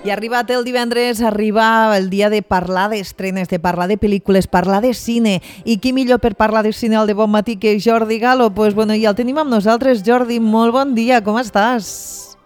I arribat el divendres, arriba el dia de parlar d'estrenes, de parlar de pel·lícules, parlar de cine. I qui millor per parlar de cine al de bon matí que Jordi Galo? Pues bueno, ja el tenim amb nosaltres. Jordi, molt bon dia, com estàs?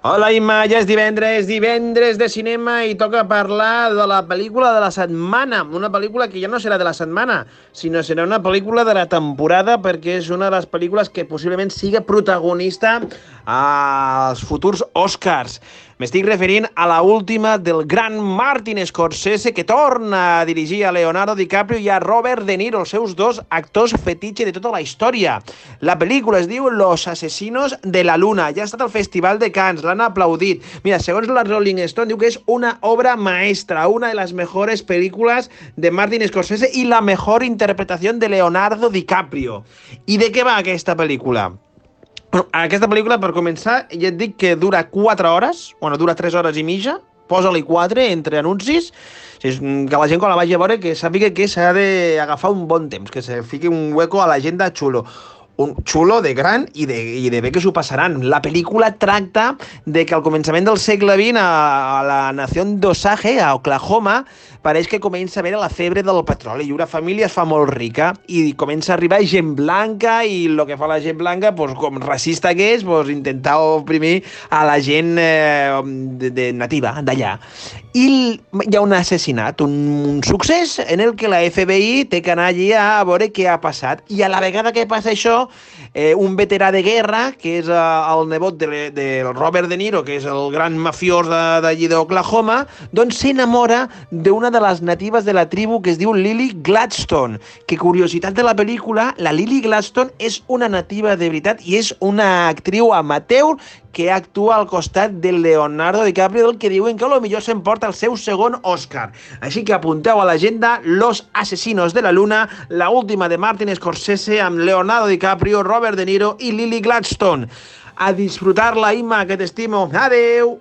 Hola Imma, ja és divendres de cinema i toca parlar de la pel·lícula de la setmana, una pel·lícula que ja no serà de la setmana, sinó serà una pel·lícula de la temporada perquè és una de les pel·lícules que possiblement siga protagonista als futurs Oscars. M'estic referint a la última del gran Martin Scorsese, que torna a dirigir a Leonardo DiCaprio i a Robert De Niro, els seus dos actors fetitxe de tota la història. La pel·lícula es diu Los asesinos de la luna. Ja ha estat al Festival de Cannes, l'han aplaudit. Mira, segons la Rolling Stone, diu que és una obra maestra, una de las mejores películas de Martin Scorsese i la mejor interpretación de Leonardo DiCaprio. I de què va aquesta pel·lícula? Bueno, aquesta pel·lícula, per començar, ja et dic que dura 4 hores, dura 3 hores i mitja, posa-li 4 entre anuncis, que la gent quan la vagi a veure que sàpiga que s'ha d'agafar un bon temps, que se fiqui un hueco a l'agenda xulo. Un xulo de gran i de bé que s'ho passaran. La pel·lícula tracta de que al començament del segle XX a la nació d'Osage, a Oklahoma, pareix que comença a haver la febre del petroli i una família es fa molt rica i comença a arribar gent blanca i el que fa la gent blanca, com racista que és, intentar oprimir a la gent nativa d'allà. I hi ha un assassinat, un succés en el que la FBI té que anar allí a veure què ha passat. I a la vegada que passa això, un veterà de guerra, que és el nebot del Robert De Niro, que és el gran mafiós d'allí d'Oklahoma, doncs s'enamora d'una de les natives de la tribu que es diu Lily Gladstone, que, curiositat de la pel·lícula, la Lily Gladstone és una nativa de veritat i és una actriu amateur que actua al costat de Leonardo DiCaprio, del que diuen que a lo millor s'emporta el seu segon Oscar. Així que apunteu a l'agenda Los asesinos de la luna, la última de Martin Scorsese amb Leonardo DiCaprio, Robert De Niro i Lily Gladstone. A disfrutar-la, Imma, que t'estimo. Adeu!